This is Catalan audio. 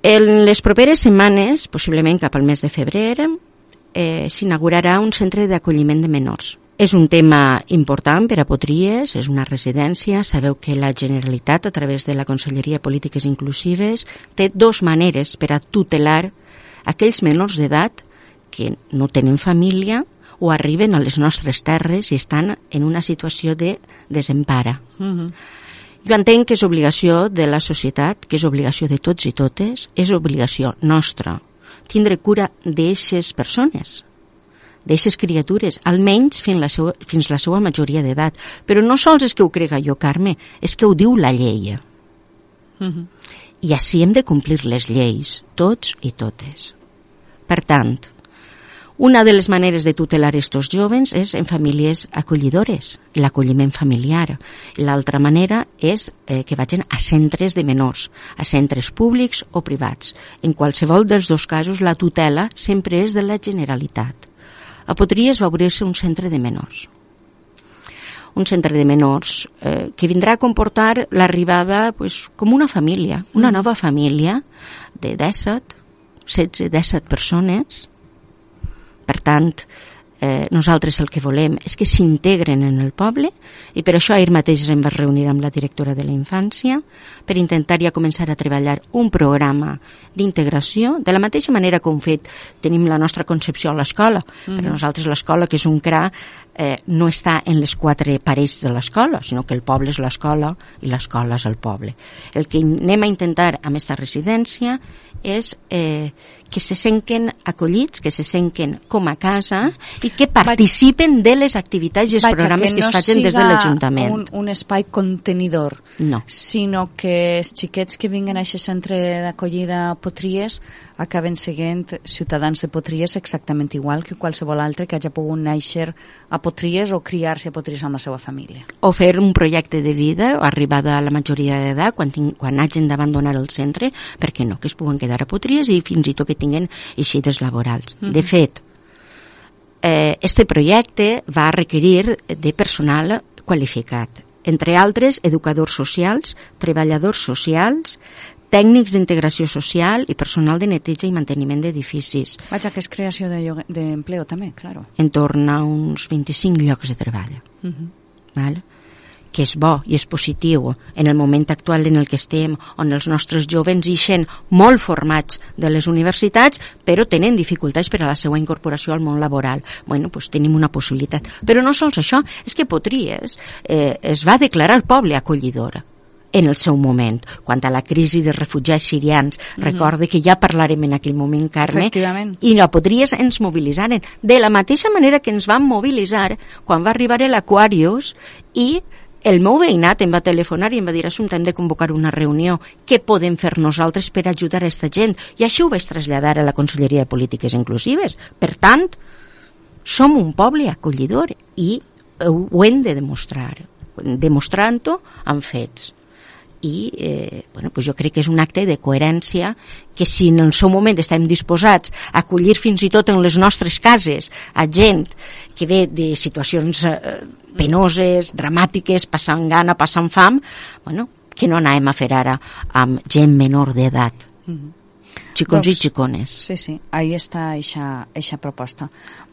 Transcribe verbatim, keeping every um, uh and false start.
En les properes setmanes, possiblement cap al mes de febrer, eh, s'inaugurarà un centre d'acolliment de menors. És un tema important per a Potries, és una residència. Sabeu que la Generalitat, a través de la Conselleria de Polítiques Inclusives, té dos maneres per a tutelar aquells menors d'edat que no tenen família o arriben a les nostres terres i estan en una situació de desempara. Uh-huh. Jo entenc que és obligació de la societat, que és obligació de tots i totes, és obligació nostra tindre cura d'eixes persones, d'eixes criatures, almenys fins la seva, fins la seva majoria d'edat. Però no sols és que ho crega jo, Carme, és que ho diu la llei. Uh-huh. I així hem de complir les lleis, tots i totes. Per tant, una de les maneres de tutelar estos jóvens és en famílies acollidores, l'acolliment familiar. L'altra manera és eh, que vagin a centres de menors, a centres públics o privats. En qualsevol dels dos casos, la tutela sempre és de la Generalitat. A Potries va obrir-se un centre de menors. Un centre de menors eh, que vindrà a comportar l'arribada pues, com una família, una nova família de disset, setze, disset persones. Per tant, eh, nosaltres el que volem és que s'integren en el poble i per això ahir mateix em vaig reunir amb la directora de la infància per intentar ja començar a treballar un programa d'integració, de la mateixa manera que hem fet, tenim la nostra concepció a l'escola. Mm-hmm. Per a nosaltres l'escola, que és un C R A, eh, no està en les quatre parets de l'escola, sinó que el poble és l'escola i l'escola és el poble. El que anem a intentar amb aquesta residència és eh, que se senten acollits, que se senten com a casa i que participen de les activitats i els Vaja, programes que, no que es facin des de l'Ajuntament. Un, un espai contenidor, no. sinó que els xiquets que vinguen a aquest centre d'acollida a Potries acaben sent ciutadans de Potries exactament igual que qualsevol altre que hagi pogut néixer a Potries o criar-se a Potries amb la seva família. O fer un projecte de vida, arribada a la majoria d'edat, quan, quan hagin d'abandonar el centre, perquè no, que es puguen quedar a Potries i fins i tot que tinguin eixides laborals. Mm-hmm. De fet, eh, este projecte va requerir de personal qualificat, entre altres educadors socials, treballadors socials, tècnics d'integració social i personal de neteja i manteniment d'edificis. Vaja, que és creació d'empleo de també, claro. En torn a uns vint-i-cinc llocs de treball. Uh-huh. Val? Que és bo i és positiu en el moment actual en el que estem, on els nostres jovens ixen molt formats de les universitats, però tenen dificultats per a la seva incorporació al món laboral. Bueno, doncs tenim una possibilitat. Però no sols això, és que Potries eh, es va declarar poble acollidor en el seu moment, quan a la crisi dels refugiats sirians, mm-hmm. recorde que ja parlarem en aquell moment, Carme, i a Potries ens mobilitzaren, de la mateixa manera que ens van mobilitzar quan va arribar l'Aquarius i el meu veïnat em va telefonar i em va dir: Assumpta, hem de convocar una reunió, què podem fer nosaltres per ajudar a aquesta gent? I això ho vaig traslladar a la Conselleria de Polítiques Inclusives. Per tant, som un poble acollidor i ho hem de demostrar, demostrant-ho amb fets. I eh, bueno, pues jo crec que és un acte de coherència que si en el seu moment estem disposats a acollir fins i tot en les nostres cases a gent que ve de situacions eh, penoses, dramàtiques, passant gana, passant fam, bueno, que no anem a fer ara amb gent menor d'edat. Mm-hmm. Xicons doncs, i xicones. Sí, sí, ahí està eixa, eixa proposta.